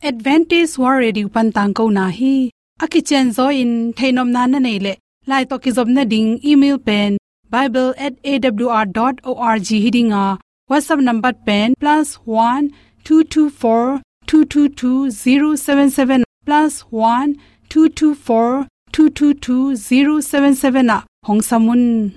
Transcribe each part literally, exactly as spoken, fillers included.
Adventist World Radio pan tangkona hi. A kicianzaw in theihnopna na neih leh, lai tawh kizopna ding email pen bible at A W R dot org hi ding a, WhatsApp number pen plus one two two four two two two zero seven seven, plus one two two four two two two zero seven seven ah hong sam un.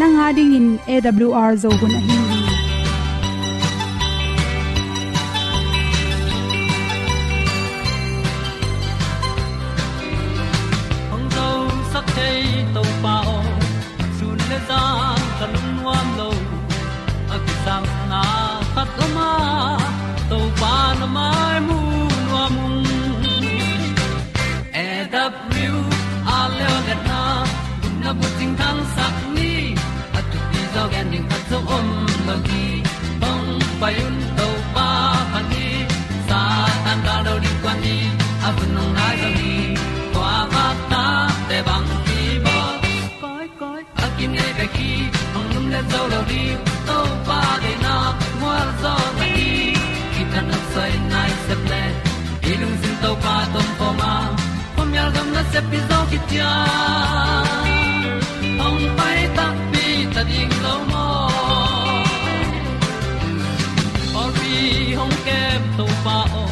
Nang a dingin A W R Zo hun ahi hi. Hong zosak thei Topa aw, sun le zan ka lungnuam lo. A kisapna khat om a, Topa na mai mu nuam ung. A W R Leo le na, gupna bucing thangsak ni. A thupi zaw gen ding khat zong om lo hi. Hong pai un Topa pha ni. Satan gal do ding kua ni. A hun hong nai zaw hi. Kua bak ta te bang ki bawl. Koi koi a kinei bek hi, hong lum le zo lo ding. Topa deihna mual zaw na hi. Kitang a soi nai sep le, i lungsim Topa tawh om a, khuamial gam nasep pi zaw kician. Hong pai takpi ta ding lo maw? Pawlpi hong kem Topa aw,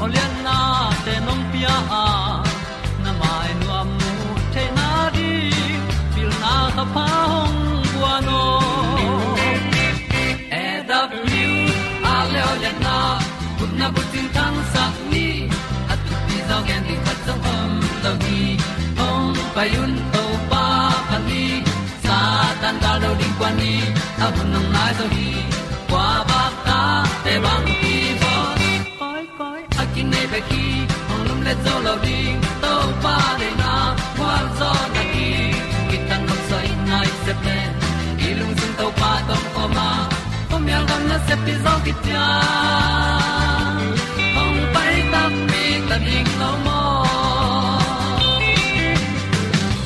aw liannate nong pia a, na mai nuam mu theihna ding pilna ka pha hong guan aw. A W R Leo le na, gupna bucing thangsak ni. A thupi zaw gen ding khat zong om lo hi. Hong pai un Topa pha ni. Satan gal do ding kua ni. A hun hong nai zaw hi. Kua bak ta te bang ki bawl. Koi koi a kinei bek hi, hong lum le zo lo ding. Topa deihna mual zaw na hi. Kitang a soi nai sep le, i lungsim Topa tawh om a, khuamial gam nasep pi zaw kician. Hong pai takpi ta ding lo maw?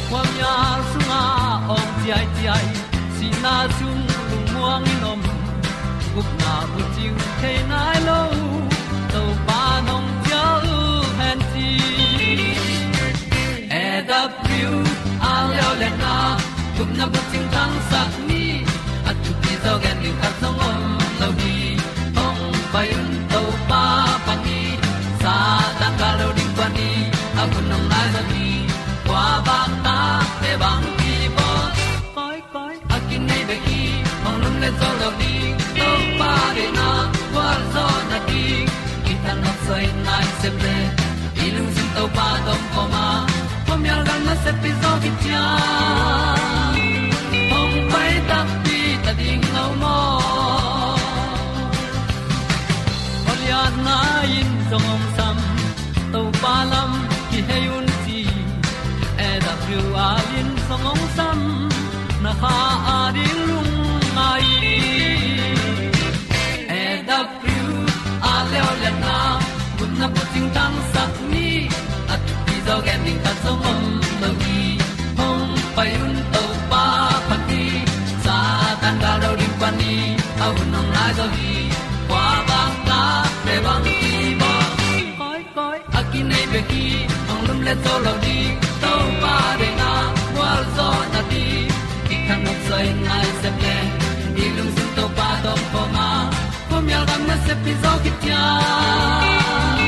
Khuamial sungah awng ciaiciai, sihna sung lungmuang in om. Gupna bucing thei nai lo, Topa nong cial hen ci. A W R Leo le na, gupna bucing thangsak ni. A thupi zaw gen ding khat zong om lo hi. Hong pai un Topa pha ni. Satan gal do ding kua ni. A hun hong nai zaw hi. Kua bak ta te bang ki bawl. Koi koi a kinei bek hi, hong lum le zo lo ding. Topa deihna mual zaw na hi. Kitang a soi nai sep le, i lungsim Topa tawh om a, khuamial gam nasep pi zaw kician. Hong pai takpi ta ding lo maw? Aw lianna in zong hong sam, Topa lam kihei un ci. A W R in zong hong sam, na kha a ding lungngai. A W R Leo le na, gupna bucing thangsak ni. A thupi zaw gen ding khat zong om lo hi. Hong pai un Topa pha ni. Satan gal do ding kua ni. A hun hong nai zaw hi. Kua bak ta te bang ki bawl. Koi koi a kinei bek hi, hong lum le zo lo ding. Topa deihna mual zaw na hi. Kitang a soi nai sep le, i lungsim Topa tawh om a, khuamial gam nasep pi zaw kician.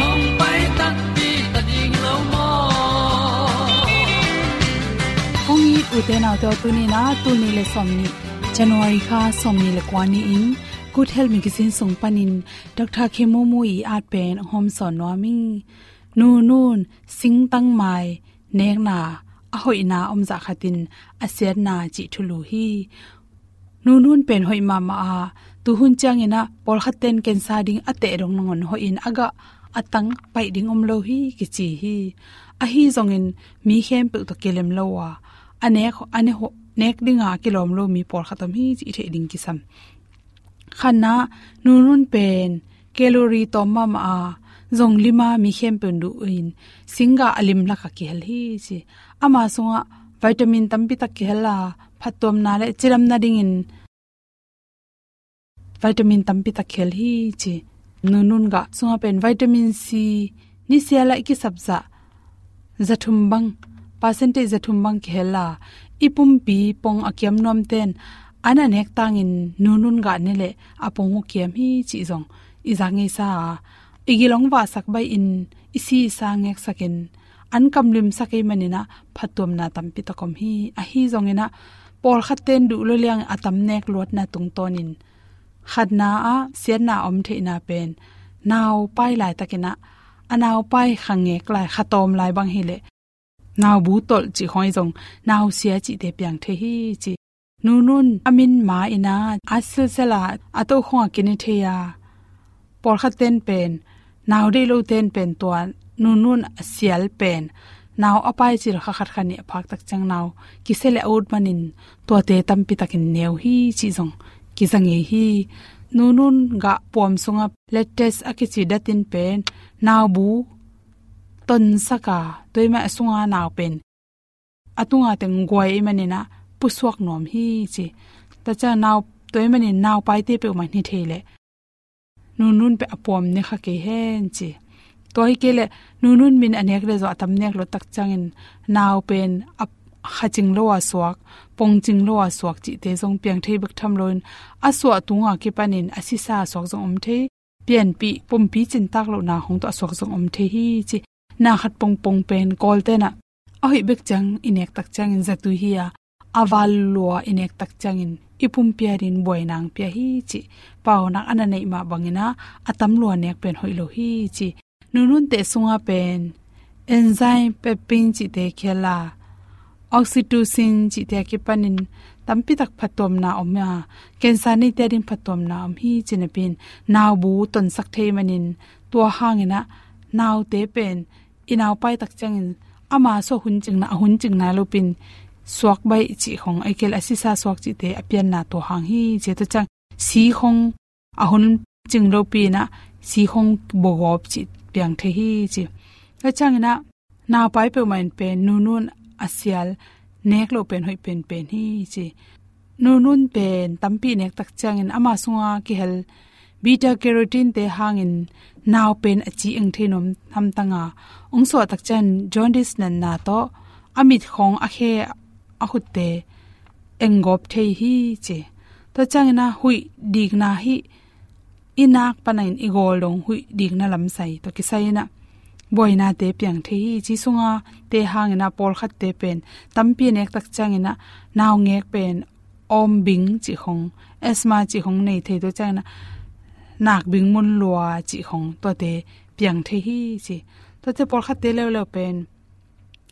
Hong pai takpi ta ding lo maw? Kong it ute naute aw, tuni in a, tul nih le sawmnih, January kha sawmnih le kua ni-in, Good Health Magazine sung panin Doctor Khein Maung Maung i at pen hong hawmsawn nuam ing. Nu nun, singtang mai, nekna, a hoihna om zah khatin a siatna cih thulu hi. Nunun pen hoih mahmah a, tuhun ciangin ah pawlkhat ten cancer ding a teh dong nangawn hoihin a gah a tang paih ding om lo hi kici hi. Ahi zongin mi khempeuh tawh kilem lo a, a nek, a ne ho-, nek dinga a kilawm lo mi pawlkhat om hi cih i theih ding kisam. Khatna, nunun pen calorie tawm mahmah a, zong lima mi khempeuh duhin singgah a lim lakah kihel hi ci. Ama sungah vitamin tampi tak kihel a, phattuamna le cidamna dingin vitamin tampi tak kihel hi ci. Nunun gah sungah pen vitamin C nisial ah i kisap zah zathum bang, percentage zathum bang kihel a, i pumpi pong a kiam nuamten an a nek tangin nunun gah ne leh a pong uh kiam hi cih zong i zak ngeisa a, i gil hong vahsak baihin i si i sa ngeksakin an kamlimsak ei manin ah phattuamna tampi tak om hi. Ahi zongin ah pawlkhat ten duh lo liang a tam nek luatna tungtawnin khatna ah siatna a om theihna pen naupai laitakin ah, a naupai kha ngek lai, kha tawm lai bang hileh naubu tolh cih khawng ahi zong nausia cihte piang thei hi ci. Nunun a min ma in ah a silsela a tokhong a kine thei a, pawlkhat ten pen, nau deih lo ten pen tua nunun a sial pen nau a paicil kha khat kha nih a phak tak ciang nau kisia le a ut manin tuate tampi takin neu hi cih zong kiza ngei hi. Nunun gah puam sungah latex a kici datin pen naubu tonsak a, tua ahih manin a sunga nau pen a tunga teng guai ahih manin ah pusuak nuam hi ci. Tua ciang nau, tua ahih manin naupaite peuhmah hi thei leh nunun pen a puam ne kha kei hen ci. Tua hi kei leh nunun min a nek leh zong a tam nek luat tak ciangin nau pen a kha cing lo a suak, pong cing lo a suak cihte zong piang thei bek tham loin a suah tunga kipanin a sisa a suak zong om thei, pianpih pumpi cintak lohna hong tawh a suak zong om thei hi ci. Na khat pongpong pen Kawlten ah a hoih bek ciang i nek tak ciangin zatui hi a, a val lua i nek tak ciangin i pumpi adingin buaina hong pia hi cih paunak a na neih mah bangin ah a tam lua nek pen hoih lo hi ci. Nununte sungah pen enzyme, pepin cihte kihel a, oxytocin cihte a kipanin tampi tak phattuamna om a, cancer neite ading phattuamna om hi ci napi-in naubu tonsak thei manin tua hangin ah naute pen i naupai tak ciangin ama suah hun cingna, a hun cing nai lopi-in suak baih cih khong, ahih kei leh a sisa suak cihte a pianna tua hang hi ci. Tua ciang si khong a hun cing lopi-in ah si khong bawgawp cih piang thei hi ci. Tua ciangin ah naupai peuhmah in pen nunun a sial nek loh pen hoih penpen hi ci. Nunun pen tampi nek tak ciangin ama sunga kihel beta carotene te hangin nau pen a ci eng thei nuam hamtang a, hong suah tak ciang jaundice natna tawh a mit khong, a khe, a khutte eng gawp thei hi ci. Tua ciangin ah huih dikna hi, i nak panin i gawl dong huih dikna lamsai tawh kisai-in ah buainate piang thei hi ci. Sungate hangin ah pawlkhatte pen tampi nek tak ciangin ah naungek pen awm bing cih khong, asthma cih khong nei thei, tua ciangin ah nak bing mun lua cih khong tuate piang thei hi ci. Tuate pawlkhatte leuleu pen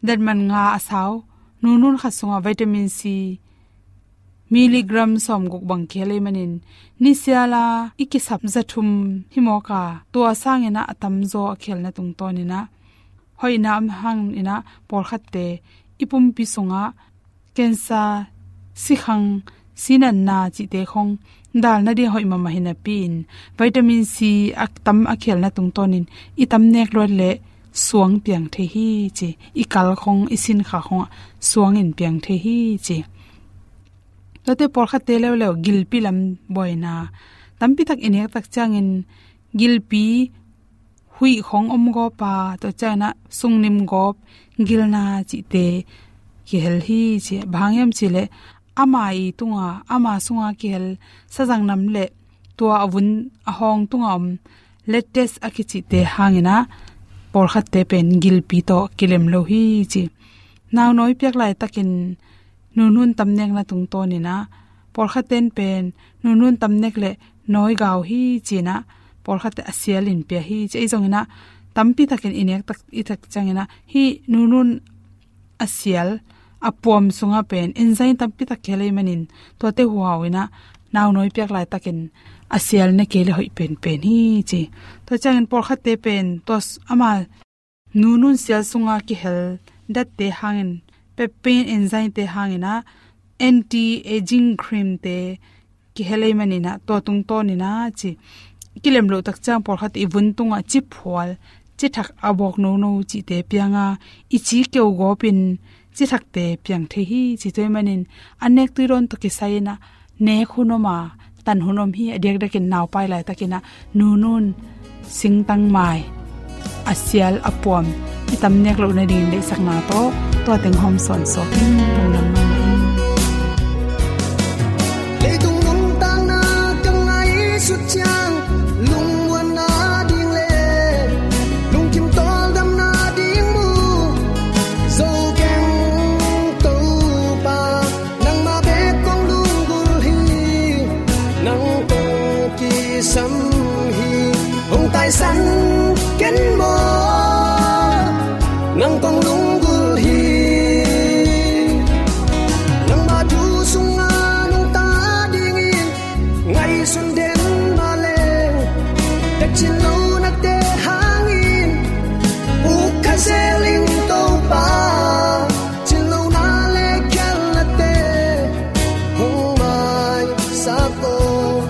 datman nga a sau nunun khat sungah vitamin C milligram sawmguk bang kihel ahih manin nisial a i kisap zathum hi mawk a, tua sangin ah a tamzaw a kihelna tungtawnin ah hoihna om hangin ah pawlkhatte i pumpi sungah cancer, sikhang, sinatna cihte khong dal nading hoih mahmah hi napi-in vitamin C a tam a kihelna tungtawnin i tam nek luat leh suang piang thei hi ci. I kal khong, i sinkha khongah suangin piang thei hi ci. Tuate pawlkhatte leuleu gilpi lam buaina tampi tak i nek tak ciangin gilpi huih khong om gawp a, tua ciangin ah sungnim gawp, gilna cihte kihel hi ci. Bang hang hiam cih leh ama i tunga, ama sunga kihel sazang nam le tua a vun a hawng tunga om latex a kicihte hangin ah pawlkhatte pen gilpi tawh kilem lo hi ci. Naunawi piak laitakin nunun tam nekna tungtawnin ah pawlkhatten pen nunun tam nek leh nawi gau hi ci-in ah pawlkhatte a sialin pia hi ci. Ahi zongin ah tampi takin i nek tak, i tak ciangin ah hih nunun a sial, a puam sungah pen enzyme tampi tak kihel ahih manin tuate huhau inah naunawi piak laitakin a sial ne kei le hoih penpen hi ci. Tua ciangin pawlkhatte pen tua s-, ama nunun sial sunga kihel datte hangin, pepin enzyme te hangin ah anti-aging cream te kihel ahih manin ah tua tungtawnin ah ci. Kilem loh tak ciang pawlkhat i vun tungah ci phual, ci thak a bawk nono cihte pianga i ci keu gawpin ci thakte piang thei hi ci. Tua ahih manin a nek tui dawn tawh kisai inah nek hun om a, tan hun om hi. A diakdiakin naupai laitakin ah nunun singtang mai a sial a puam i tam nek loh nadingin deihsakna tawh tua teng hawm sawnsuak in lungdam mahmah ing. Leitung nuntakna ka ngaihsut ciang lungmuanna ding le lungkim tawldamna ding mu zo keng Topa. Nangmah bek kong lunggulh hi, nang kong kisam hi. Hong taisan ken maw, nang kong lunggulh hi. Nangmah thu sungah nungta dingin ngaihsun den mah leng, ka cin lohnate hangin puk kha zel ing Topa. Cin lohna le khialhnate hong maisak aw.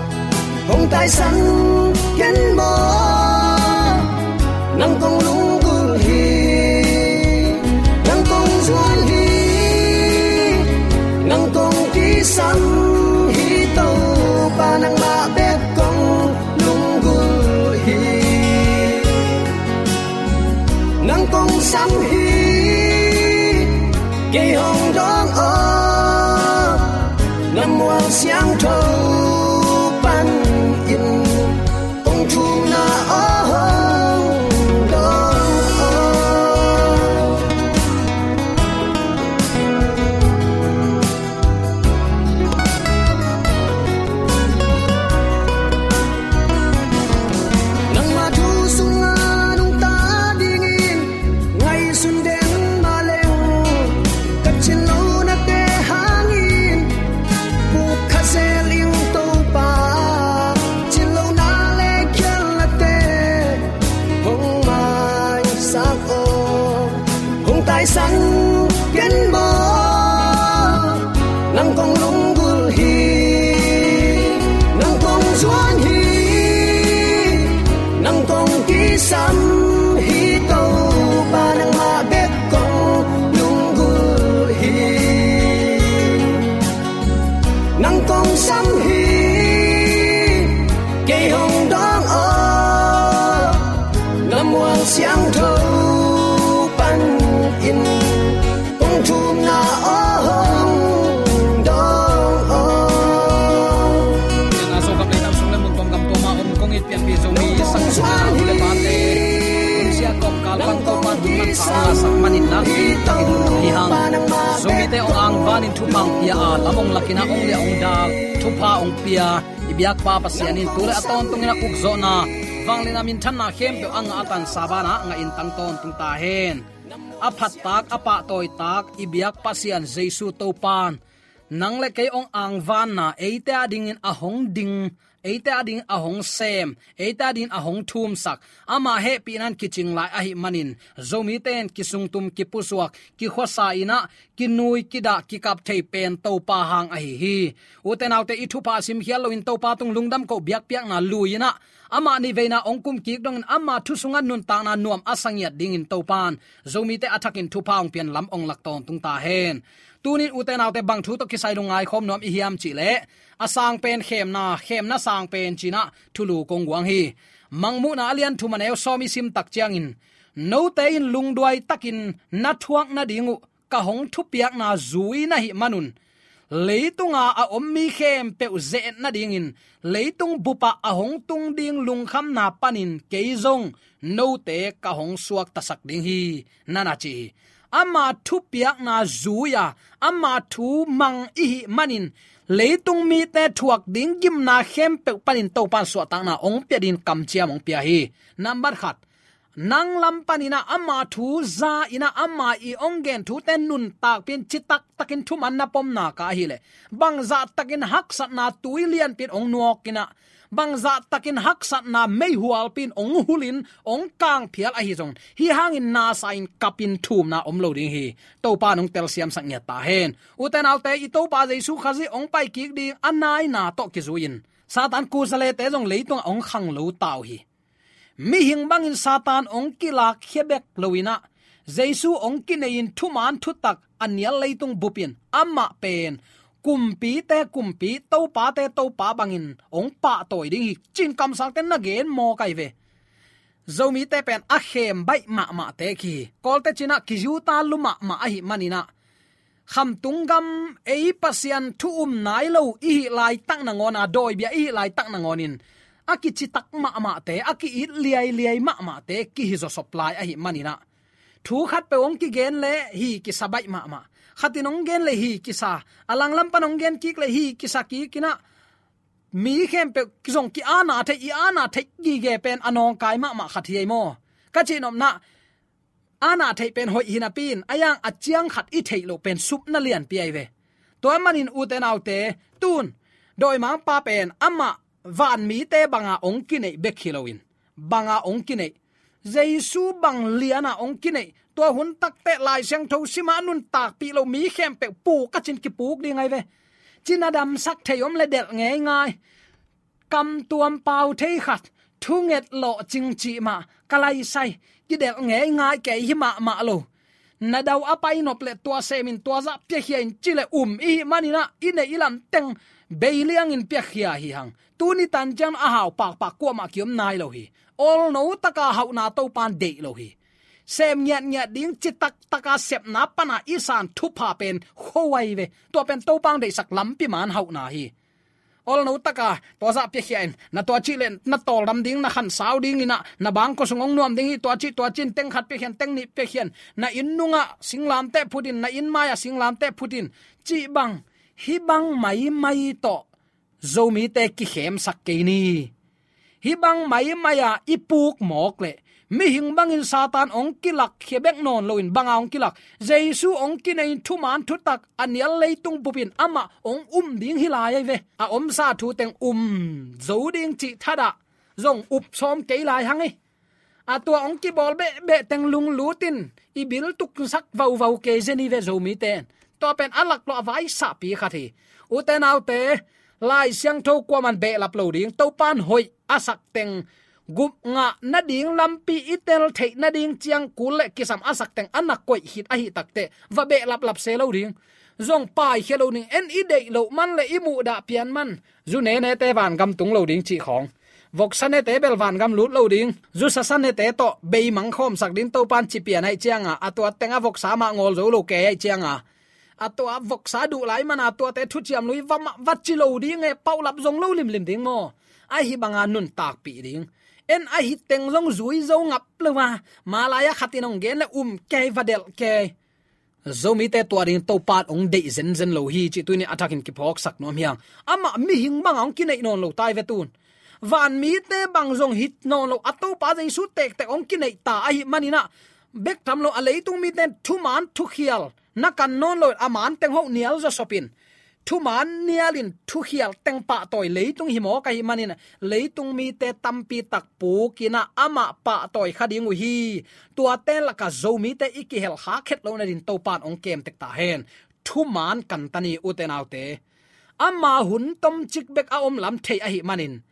Hong taisan ken maw, nang kong lunggulh hi. Nang kong zuan hi, nang kong kisam hi Topa. Nangmah bek kong lunggulh hi. Nang kong sam hi, kei hong dawng aw. Na mual siangtho panin kong thumna aw hong dawng aw. Nangmah thu sungah nungta dingin ngaihsun den mah leng, ka cin lohnate hangin puk kha zel ing Topa. Cin lohna le khialhnate hong maisak aw. Hong taisan ken maw, nang kong lunggulh hi. Nang kong zuan hi, nang kong kisam hi Topa. Nangmah bek kong lunggulh hi. Nang kong sam hi, kei hong dawng aw. Na mual siangtho panin kong thumna aw hong dawng aw. Tena Zo gam le nam sung le mun tuam gam tuama om kong it pianpih Zomi sakte, u le pate, hun sia kawmkal pan Topa'n hun manpha hong ngahsak manin nakpi takin lungdam hi hang. Zomite hong angvanin thupha hong pia a, lam hong lakin a, hong liah hong dal thupha hong pia i biakpa Pasian in tu le a tawntungin a ukzawhna, vangliatna, minthanna khempeuh a ngah a tansa banah ngahin tang tawntung ta hen. A phattak a pahtawitak i biak Pasian Jesu Topa'n nang le kei hong angvanna eite adingin a hong ding, eite adingin a hong sem, eite adingin a hong thumsak, ama hehpihna in kicing lai ahih manin Zomite in kisungtum, kipusuak, kikhuasa in ah, kinui, kidah, kikap thei pen Topa hang ahi hi. Ute naute, i thupha simkhial loin Topa tung lungdam koh, biakpiakna lui in ah, amah nih veina hong kum kik dongin ama thu sungah nuntakna nuam a sa ngiat dingin Topa'n Zomite a thakin thupha hong pian lam hong lak tawntung ta hen. Tunin ute naute, bang thu tawh kisai lungngai khawm nuam i hiam cih leh, a sang pen khemna, khemna sang pen ci-in ah thulu kong guang hi. Mangmuhna a lian thum a neu sawm i sim tak ciangin, note in lungduai takin na thuak nading uh ka hong thupiakna zui na hih manun, leitunga a om mi khempeuh ze-et nadingin leitung bupah a hong tung ding lungkhamna panin kei zong note ka hong suaktasak ding hi, na na ci hi. Ama thupiakna zui-a, ama thu mang i hih manin leitung mite thuak ding gimna khempeuh panin Topa'n suahtakna hong pia dingin kamciam hong pia hi. Nambat khat, nang lam panin ah ama thu za in ah ama i hong gen thute nuntakpih in citak takin thuman na pom nak ahih leh, bangzah takin haksatna tui lianpi in hong nuak in ah, bangzah takin haksatna meihualpi in hong hul in hong kangphial ahi zong, hih hangin nasa in kap in thumna om lo ding hi. Topa in hong telsiamsak ngiat ta hen. Ute naute, i Topa Jesu Khazih hong paikik ding a naina tawh kizui in Satan kusalete zong leitungah hong khang lo ta uh hi. Mihing bangin Satan hong kilakkhia bek lo in ah, Jesu hong kinei in thuman thutak a nial leitung bup in amah pen kumpite kumpi, topate topa bangin hong pahtawi ding hi, ci-in kamsangte na gen mawk ahi ve. Zomite pen a khem baih mahmahte kihi. Kawlte cih in ah kizuta lua mahmah ahih manin ah, khamtung gam ei Pasian thu um nai lo i hih laitak nangawn a, dawibia i hih laitak nangawnin a kicitak mahmahte, a ki-it liailiai mahmahte kihi zawsop lai ahih manin ah, thu khatpeuh hong kigen leh hi kisa baih mahmah, khat in hong gen leh hi kisa, a langlam pan hong gen kik leh hi kisa kik in ah, mi khempeuh zong ki-ana theih, i ana theih gige pen a nawngkai mahmah khat hi ei maw. Ka cihnopna, ana theih pen hoih hi napi in, a yang a ciang khat i theih loh pen supna lianpi ahi ve. Tua manin ute naute, tun dawimangpa pen amah vanmite banga hong kineih bek hi loin, banga hong kineih, Jesu bang liana hong kineih, tua hun takteh Lai Siangtho sima nuntakpih lo mi khempeuh puk a cin kipuk ding ahi ve. Cina damsak thei om le delh ngeingai. Kamtuam pau thei khat, thunget lawhcing cih mah ka laisai, kidelh ngeingai kei hi mahmah lo. Na dau a painop le tua semin tua zah piakhia in ci le um i hih manin ah, i neih i lam teng bei liangin piakhia hi hang. Tuni tan ciang a hau pakpak kuamah kiom nai lo hi. Olno taka hauhna Topan deih lo hi. Sem ngiatngiat ding citak taka sepna pana i san thupha pen khuai ve. Tua pen Topan deihsak lampi man hauhna hi. Olno taka tua zah piakhia in, na tua cih le na tawldam ding, na khansau dingin ah, na bangkua sung hong nuam ding hi, tua cih tua cih in teng khat piakhia in, teng nih piakhia in, na inn nungah singlamteh phut in, na inn mai-ah singlamteh phut in, cih bang, hih bang maimai tawh Zomite kikhemsak kei ni. Hih bang maimai-a i puk mawk leh, mihing bangin Satan hong kilakkhia bek nawn loin, banga hong kilak, Jesu hong kinei in thuman thutak a nial leitung bupin amah hong um ding hi lai ahi ve. A omsa thu teng um zo ding cih thadah zong up sawm kei lai hang hi. A tua hong kibawl behbeh teng lunglut in i bil tuksak vauvau kei zen hi ve Zomite in. Tua pen a laklawh a vaisahpi khat hi. Ute naute, Lai Siangtho kuaman behlap lo ding, Topan hoih a sak teng, gupngah nading lampi i tel theih nading ciang kul le kisam a sak teng a na koih khit ahih takteh va behlaplap se lo ding. Zong paikhia lo ding, en i deih loh man le i muhdah pian man. Zu nenete vangam tung lo ding cih khawng, voksa nete bel vangam lut lo ding. Zu sasa nete tawh beimang khawmsak ding Topan ci pian ahih cianga, a tua teng a voksa mah ngawl zo lo kei ahih cianga, a tua voksa duh lai mana tuate thuciam lui va mah va ci lo ding e, paulap zong lo limlim ding maw. Ahi banga nuntakpih ding. En ahi teng zong zui zo ngap lo a, malai-a khat in hong gen le um kei, va delh kei. Zomite tua ding Topan hong deih zenzen lo hi cih tuni a thakin kiphawksak nuam hi hang. Amah mihing banga hong kineih nawn lo tai ve tun. Vanmite bang zong hi nawn lo, a Topa Jesu tektek hong kineih ta ahih manin ah, bek tham lo a leitung mite in thuman thukhial na kan nawn lo, a man teng hoh nial zawsop in, thuman nialin thukhial teng pahtawi leitung hi mawk ahih manin, leitung mite tampi tak pukin ah amah pahtawi kha ding uh hi. Tuate lakah Zomite i kihel khak het loh nadin Topan hong kemtek ta hen. Thuman kan ta ni ute naute. Ama hun tomcik bek a om lam thei ahih manin,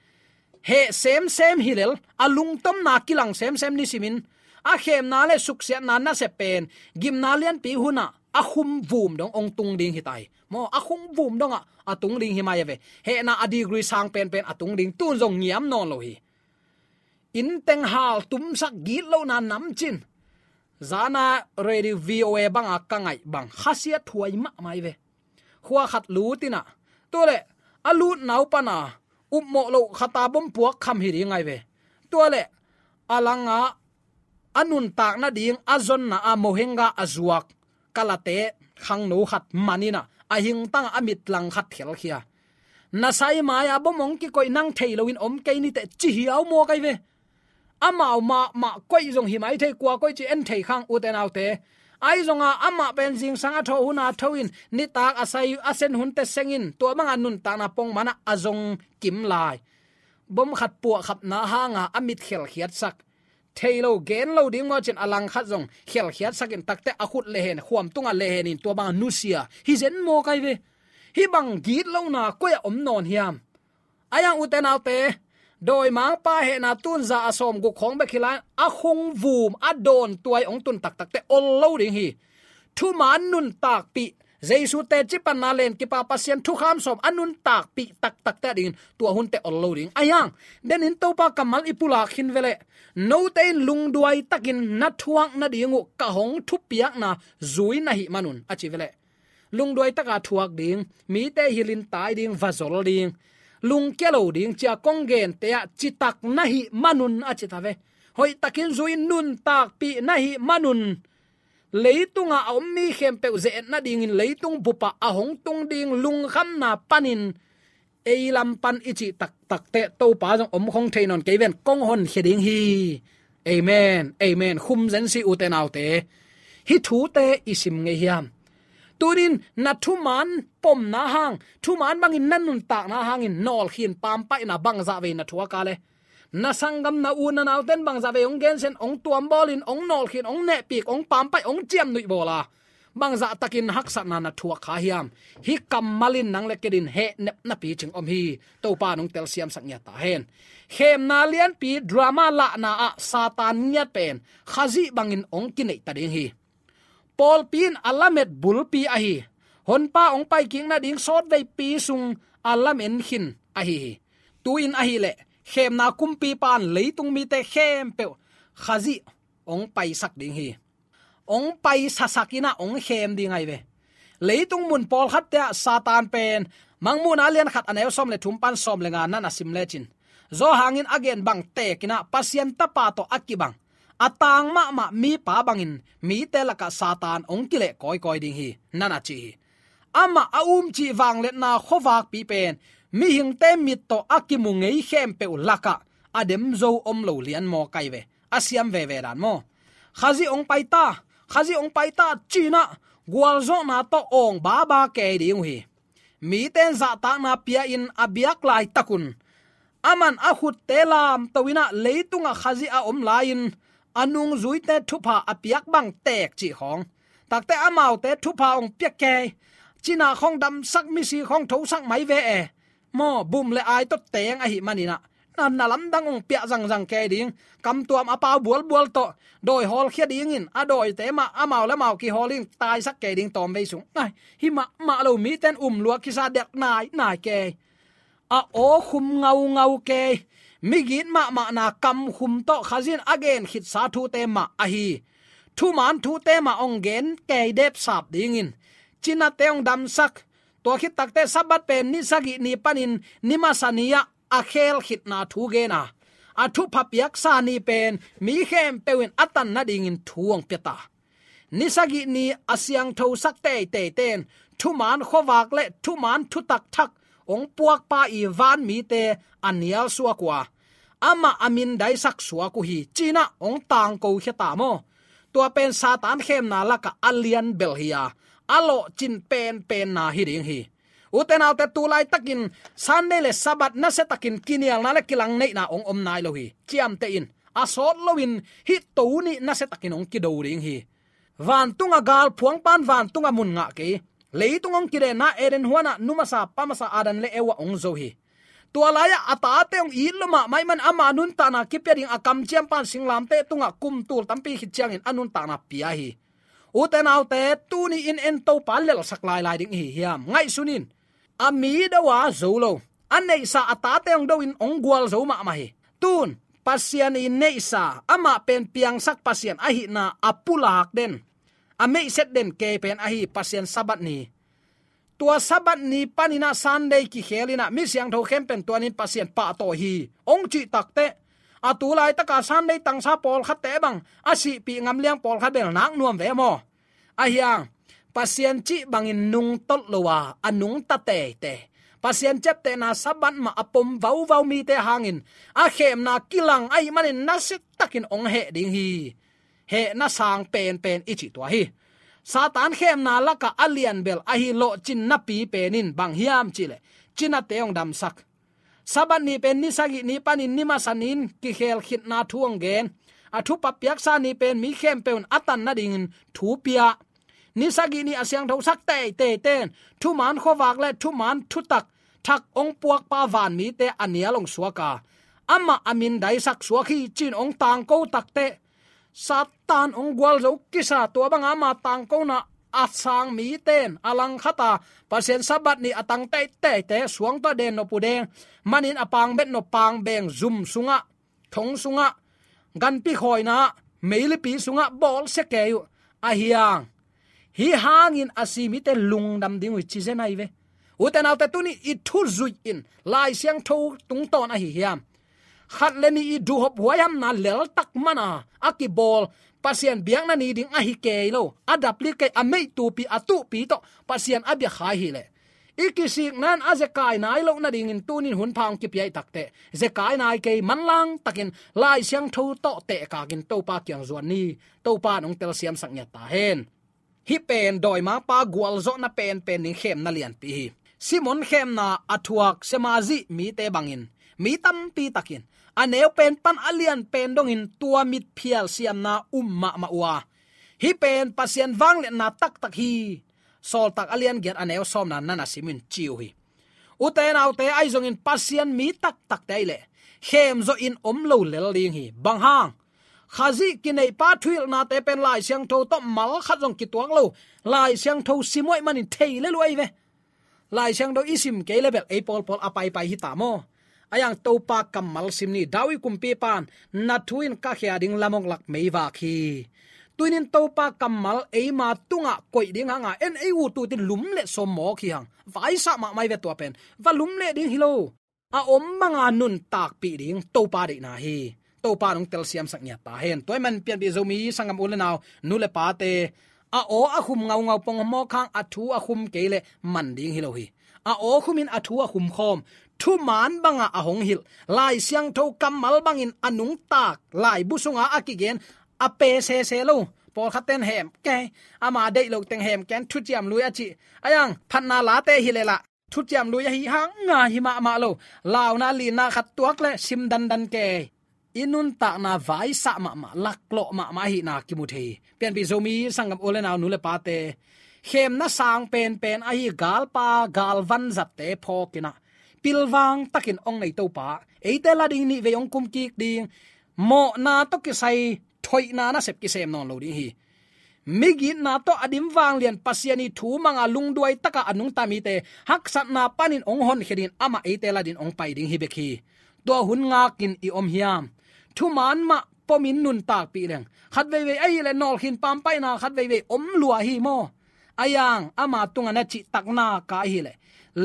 heh semsem hi lel, a lungtomna kilang semsem nisimin, a khemna le suksiatna nasep pen gimna lianpi hunah a khum vum dong hong tung ding hi ta hi. Maw, a khum vum dongah a tung ding hi mai a ve. Hehna a degree sang penpen a tung ding, tun zong ngiam nawn lo hi. Inn teng hal tumsak gitlohna namcin. Zana Radio V O A banga ka ngaih bang, khasiat huai mahmah hi ve. Khua khat lut inah, tu le a lutna uh pana upmawh loh khata bom puak kham hi ding ahi ve. Tua le a langah a nuntak nading a zonna a mohengga a zuak kalate khangno khat man inah, a hingtangah a mitlang khat khelkhia. Na sai mai-a bom hong kikoih, nang thei loin om kei niteh, ci hiau mawk ahi ve. Amau mahmah koih zong hi mai thei, kua koih cih en thei khang, ute naute. Ahi zonga amah pen zingsang a thawh hun a tho in, nitak a sai a sen hunte seng in, tua banga nuntakna pongman ah a zong kim lai. Bom khat puahkhapna hanga a mit khelkhiatsak. Thei lo, gen lo ding maw cin a langkhat zong khelkhiatsak in, takte a khut lehen, khuam tunga lehen in tua banga nusia. Hi zen maw kai ve. Hih bang gitlohna koi ah om nawn hiam? Ahi hang ute naute, dawimangpa hehna tun za a sawmguk khawng bek hi lai, a khung vum a dawn tuai hong tun taktakte ol lo ding hi. Thuman nuntakpih, Jesu teci panna len kipa Pasian thukham sawm a nuntakpih taktakte a dingin tua hunte ol lo ding. Ahi hang, denin Topa kammal i pulak khin veleh, note in lungduai takin na thuak nading uh ka hong thupiakna zui na hih manun, a ci veleh. Lungduai taka thuak ding, mite hilhin tai ding, va zol ding, lungkia lo ding, cia kong gente ah citak na hih manun, a ci ta ve. Hoihtakin zui, nuntakpih na hih manun, leitungah a om mi khempeuh ze-et nadingin leitung bupah a hong tung ding lungkhamna panin ei lam pan i cih taktakte Topa zong om khong thei nawn kei ven, kong honkhia ding hi. Amen, amen. Khum zen si, ute naute. Hih thute i sim ngei hiam? Tunin na thuman pomna hang, thuman bangin na nuntakna hangin nawlkhin pampaihna bangzah vei na thuak a le, na sanggam, na u na nauten bangzah vei hong gensen, hong tuambawlin, hong nawlkhin, hong nehpik, hong pampaih, hong ciamnuih bawla, bangzah takin haksatna na thuak kha hiam? Hih kammal in nang le kei in hehnep napi cing om hi. Topa nong telsiamsak ngiat ta hen. Khemna lianpi drama lahna ah Satan ngiat pen Khazih bangin hong kineih ta ding hi. Pawlpi in a lamet bulpi ahi, Honpa hong paikik nading sawtveipi sung a lamen khin ahi hi. Tu-in ahileh, khemna kumpipa in leitung mite khempeuh Khazih hong paisak ding hi. Hong paisasak in ah hong khem ding ahi ve. Leitung mun pawlkhatte ah Satan pen, Mangmuhna lian khat a neu sawm le thum pan sawm le nga nan a sim lecin, Johan in a gen bang tekin ah Pasian Tapa tawh a kibang, a tang mahmah mipa bangin mite lakah Satan hong kileh kawikawi ding hi, nan a ci hi. Amah a umcih vangliatna khuavakpi pen mihingte mit tawh a kimu ngei khempeuh lakah a demzo om lo lian maw kai ve. A siam veve dan maw? Khazih hong pai ta, Khazih hong pai ta, ci-in ah gualzawhna tawh awng baba kei ding uh hi. Mite in zahtakna pia-in a biak laitakun, aman a khutte lamto in ah leitungah Khazih a om lai-in a nungzuite thupha a piak bang tek cih khawng, takte amaute thupha hong pia kei, cina khawng damsak, misi khawng thosak mai ve e. Maw, bum le ai tawh teng ahih manin ah, na, na lamdang hong piah zangzang kei ding, kamtuam a pau bualbual tawh dawi hawlkhia dingin a dawite mah amau le amau kihawl in taisak kei ding tawmvei sung. Ai, hi mahmah lo, mite in um lua kisa, delh nainai kei. A aw khum ngaungau kei. Migit mahmahna kamkhum tawh Khazih in a gen khitsa thute mah ahi. Thuman thute mah hong gen kei depsap dingin, cinate hong damsak. Tua khit takte Sabbath pen ni sagih ni panin ni masa ni-ah a khel khitna thu gen a, a thupha piaksa ni pen mi khempeuh in a tan nadingin thu hong pia ta. Ni sagih ni a siangthosak teiteite in thuman khuavak le thuman thutak thak hong puakpa i van mite a nial suak uh a, amah a mindaisak suak uh hi, ci-in ah hong tangko khia ta maw? Tua pen Satan khemna lakah a lian bel hi a, a lawhcin penpenna hi ding hi. Ute naute, tu laitakin Sunday le Sabbath nasiatakin kinialna le kilangneihna hong om nai lo hi. Ciamteh in, a sawt loin hih To nih nasiatakin hong kido ding hi. Vantunga galphuangpa in vantungah mun ngah kei. Leitung hong kidenna Eden huanah numasa pamasa Adam le Eva hong zo hi. Tua lai-ah a tate hong it lua mahmah ahih manin ama nuntakna kipia ding a kamciampa in singlamteh tungah kum tul tampi khit ciangin a nuntakna pia hi. Ute naute, tuni-in en Topa lelhsak lailai ding i hi hiam? Ngaihsun in. A mi do a zo lo, a neihsa a tate hong do-in hong gualzo mahmah hi. Tun Pasian i neihsa, amah pen piangsak Pasian ahihna a pulak den, a meihset den kei pen ahi Pasian Sabbath ni. Tua Sabbath ni panin ah Sunday kikhel in ah mi siangtho khempeuh in tuanin Pasian pahtawi hi hong cih takteh, a tu laitaka Sunday tangsa pawlkhatte bang a sihpih ngam liang pawlkhat bel nak nuam ve maw? Ahi hang, Pasian cih bangin nungtolh lo a, a nungta teitei, Pasian ciaptehna Sabbath mah a pom vauvau mite hangin a khemna kilang ahih manin nasia takin hong heh ding hi. Hehna sang penpen i cih tua hi. Satan khemna lakah a lianbel ahi lawhcinnapi pen in bang hiam cihleh, cinate hong damsak. Sabbath ni pen ni sagih ni panin ni masa ni-in kikhel khitna thu hong gen. A thupha piaksa ni pen mi khempeuh in a tan nadingin thu pia. Ni sagih ni a siangthosak teiteite in thuman khuavak le thuman thutak thak hong puakpa vanmite a nial hong suak a, amah a mindaisak suak hi ci-in hong tangko takteh, Satan hong gualzo kisa, tua banga ama tangkona a sang mite in a langkhata Pasian Sabbath ni a tang teiteite suang tawh den nop uh deng manin a pangbet nop pangbeng zum sungah, thong sungah, ganpi khawina, meilipi sungah bawlsia kei uh. Ahi hang hih hangin a si mite lungdam ding uh hi ci zen ahi ve. Ute naute, tuni i thu zuih in Lai Siangtho tungtawn ahi hiam? Khat le nih i duhhop huaihamna leltak mana a kibawl Pasian biakna ni ding ahi kei lo, a dapli kei, a meihtupi, a tuhpi tawh Pasian a biakhai hileh, i kisikna in a zekai nai loh nadingin tunin hun pha hong kipia i takteh, zekai nai kei, manlang takin Lai Siangtho tawh tehkakin Topa kiang zuan ni. Topa in hong telsiamsak ngiat ta hen. Hih pen dawimangpa gualzawhna penpen ding khemna lianpi hi. Simon khemna a thuak Samaria mite bangin mi tampi takin a neu pen pan a lian pen dongin tua mitphial siamna um mahmah uh a, hih pen Pasian vangliatna taktak hi. Sawltak a lian giat a neu sawmna na na sim in ci uh hi. Ute naute, ahi zongin Pasian mi taktakte ahih leh khemzawhin om lo lel ding hi. Bang hang? Khazih kineihpa thuhilhnate pen Lai Siangtho tawh mal khat zong kituak lo, Lai Siangtho sim uh ahih manin thei lel uh ahi ve. Lai Siangtho i sim kei le bel ei pawlpawl a paipai hi ta maw? Ahi hang Topa kammal sim ni. David kumpipa in, "Na thu in ka khia ding lamong lak meivak hi." Tunin Topa kammal eima tungah koih ding hanga en ei ut uh teh lum le sawm mawk hi hang. Vaisah mahmah hi ve tua pen. Va lum leh ding hi lo. A om banga nuntakpih ding Topa deihna hi. Topa in hong telsiamsak ngiat ta hen. Tua ahih manin pianpih Zomi sanggam u le nau, nu le pate, a aw a khum ngaungau pong mawk hang a thu a khum kei leh man ding hi lo hi. A aw khumin a thu a khum khawm, thuman banga a hong hilh, Lai Siangtho kammal bangin a nungtak laibu sunga a kigen a pe sese lo. Pawlkhatte in hem kei, ama deih loh teng hem kei, thuciam lui a cih. Ahi hang phatna late hi leh lah thuciam lui ahi hang nga hi mahmah lo. Launa linna khat tuak leh sim dandan kei. I nuntakna vaisah mahmah, laklawh mahmah ahihna kimu thei hi. Pianpih Zomi sanggam u le nau, nu le pate, khemna sang penpen ahi galpa galvan zatte phawkin ah, pilvang takin hong nei Topa, eite la ding, nih vei hong kum kik ding, mawhna tawh kisai thoihna nasep kisem nawn lo ding hi. Migitna tawh a dim vanglian Pasian ii thu manga lungduai taka a nungta mite haksatna panin hong honkhia dingin amah eite la dingin hong pai ding hi bek hi. Tua hun ngakin i om hiam? Thuman mah pomin nuntakpih leng, khat veivei ahih leh nawlkhin pampaihna khat veivei om lua hi maw? Ahi hang ama tungah na cihtakna ka ahih leh,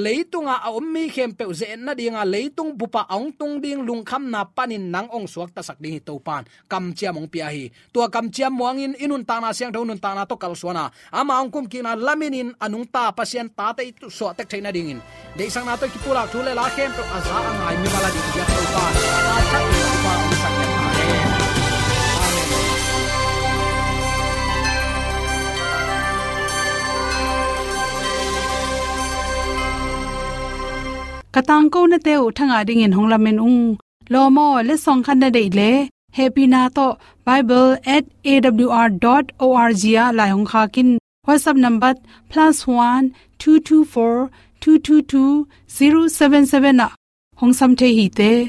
leitunga a om mi khempeuh ze-etna dinga leitung bupah a hong tung ding lungkhamna panin nang hong suaktasak ding hi Topa in kamciam hong pia hi. Tua kamciam muangin i nuntakna siangtho nuntakna tawh kalsuana, ama hong kumkikna laminin a nungta Pasian tate i suahtek theih nadingin deihsakna tawh i kipulak thu le la khempeuh a za a ngai mimal a ding biak Topa in a thak in Topa hong sak ngiat ta hen. Amen. Ka tangkonate uh thangah dingin hong lamen ung. Lawm aw, letsong khat na deih leh, hehpihna tawh bible at A W R dot O R G ah lai hong khak in. WhatsApp number plus one two two four two two two zero seven seven ah hong sam thei hi te.